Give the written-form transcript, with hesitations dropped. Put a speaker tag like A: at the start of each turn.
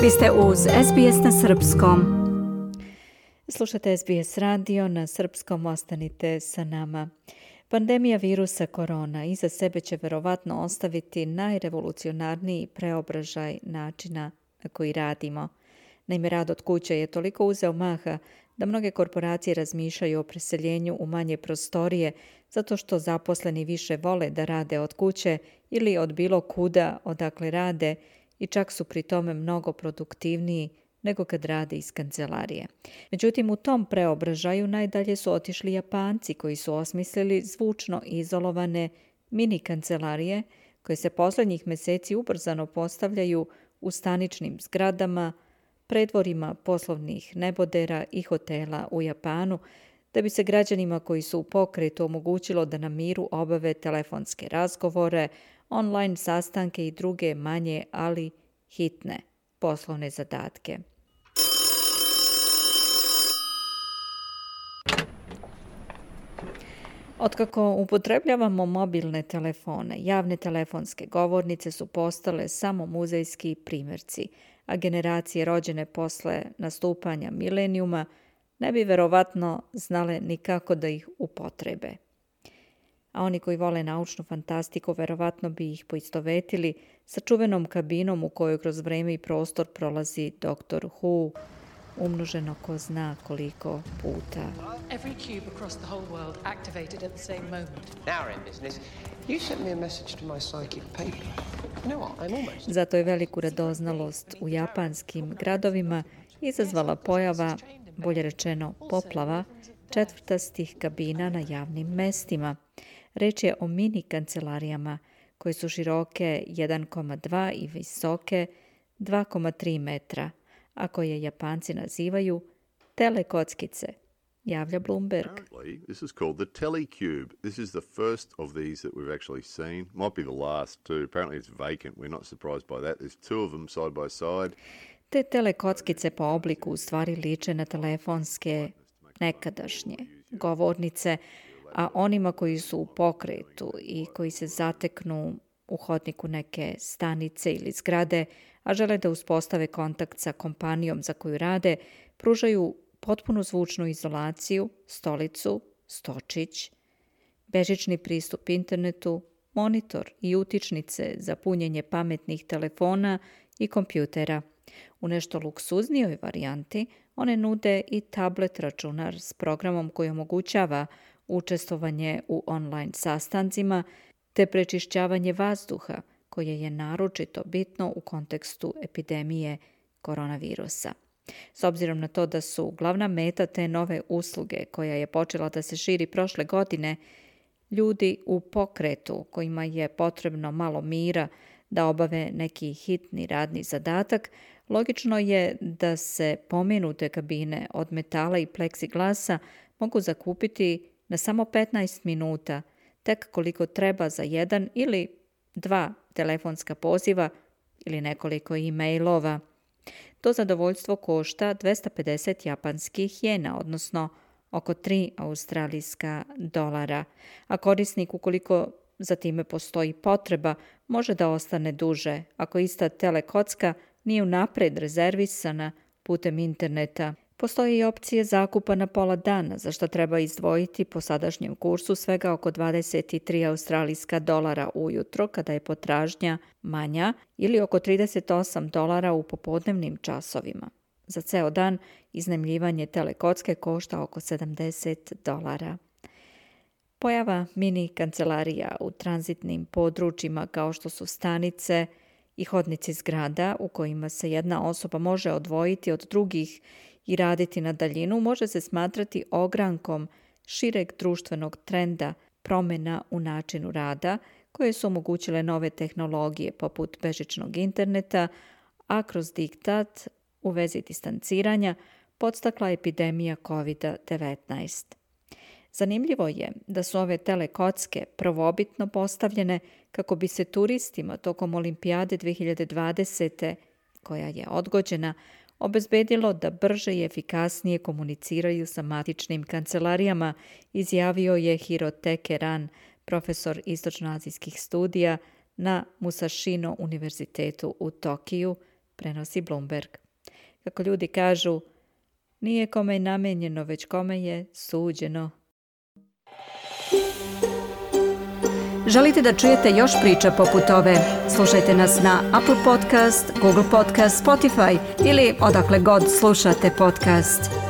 A: Vi ste uz SBS na srpskom. Slušate SBS radio na srpskom, ostanite sa nama. Pandemija virusa korona iza sebe će verovatno ostaviti najrevolucionarniji preobražaj načina na koji radimo. Naime, rad od kuće je toliko uzeo maha da mnoge korporacije razmišljaju o preseljenju u manje prostorije zato što zaposleni više vole da rade od kuće ili od bilo kuda odakle rade i čak su pri tome mnogo produktivniji nego kad rade iz kancelarije. Međutim, u tom preobražaju najdalje su otišli Japanci koji su osmislili zvučno izolovane mini kancelarije koje se posljednjih mjeseci ubrzano postavljaju u staničnim zgradama, predvorima poslovnih nebodera i hotela u Japanu, da bi se građanima koji su u pokretu omogućilo da na miru obave telefonske razgovore, online sastanke i druge manje, ali hitne poslovne zadatke. Otkako upotrebljavamo mobilne telefone, javne telefonske govornice su postale samo muzejski primjerci, a generacije rođene posle nastupanja milenijuma ne bi verovatno znale nikako da ih upotrebe. A oni koji vole naučnu fantastiku verovatno bi ih poistovetili sa čuvenom kabinom u kojoj kroz vreme i prostor prolazi Dr. Who, umnoženo ko zna koliko puta.
B: Every cube across the whole world activated at the same moment.
C: Now we're in business. You sent me a message to my psychic paper. You know what? I'm almost...
A: Zato je veliku radoznalost u japanskim gradovima izazvala pojava, bolje rečeno poplava, četvrtastih kabina na javnim mestima. Reč je o mini kancelarijama koje su široke 1,2 i visoke 2,3 metra, a koje Japanci nazivaju telekockice, javlja Bloomberg.
D: This is called the Telecube. This is the first of these that we've actually seen. Might be the last too. Apparently it's vacant. We're not surprised by that. There's two of them side by side.
A: Te telekockice po obliku u stvari liče na telefonske nekadašnje govornice, a onima koji su u pokretu i koji se zateknu u hodniku neke stanice ili zgrade, a žele da uspostave kontakt sa kompanijom za koju rade, pružaju potpunu zvučnu izolaciju, stolicu, stočić, bežični pristup internetu, monitor i utičnice za punjenje pametnih telefona i kompjutera. U nešto luksuznijoj varijanti one nude i tablet računar s programom koji omogućava učestvovanje u online sastancima te prečišćavanje vazduha, koje je naročito bitno u kontekstu epidemije koronavirusa. S obzirom na to da su glavna meta te nove usluge, koja je počela da se širi prošle godine, ljudi u pokretu kojima je potrebno malo mira da obave neki hitni radni zadatak, logično je da se pomenute kabine od metala i pleksiglasa mogu zakupiti na samo 15 minuta, tek koliko treba za jedan ili dva telefonska poziva ili nekoliko e-mailova. To zadovoljstvo košta 250 japanskih jena, odnosno oko 3 australijska dolara, a korisnik, ukoliko za time postoji potreba, može da ostane duže ako ista telekocka nije unapred rezervisana putem interneta. Postoje i opcije zakupa na pola dana, za što treba izdvojiti po sadašnjem kursu svega oko 23 australijska dolara ujutro kada je potražnja manja ili oko 38 dolara u popodnevnim časovima. Za ceo dan iznajmljivanje telekocke košta oko 70 dolara. Pojava mini kancelarija u tranzitnim područjima kao što su stanice i hodnici zgrada u kojima se jedna osoba može odvojiti od drugih i raditi na daljinu može se smatrati ogrankom šireg društvenog trenda promjena u načinu rada koje su omogućile nove tehnologije poput bežičnog interneta, a kroz diktat u vezi distanciranja podstakla epidemija COVID-19. Zanimljivo je da su ove telekocke prvobitno postavljene kako bi se turistima tokom Olimpijade 2020. koja je odgođena, obezbedilo da brže i efikasnije komuniciraju sa matičnim kancelarijama, izjavio je Hirotake Ran, profesor istočnoazijskih studija na Musashino univerzitetu u Tokiju, prenosi Bloomberg. Kako ljudi kažu, nije kome je namenjeno, već kome je suđeno. Želite da čujete još priča poput ove? Slušajte nas na Apple Podcast, Google Podcast, Spotify ili odakle god slušate podcast.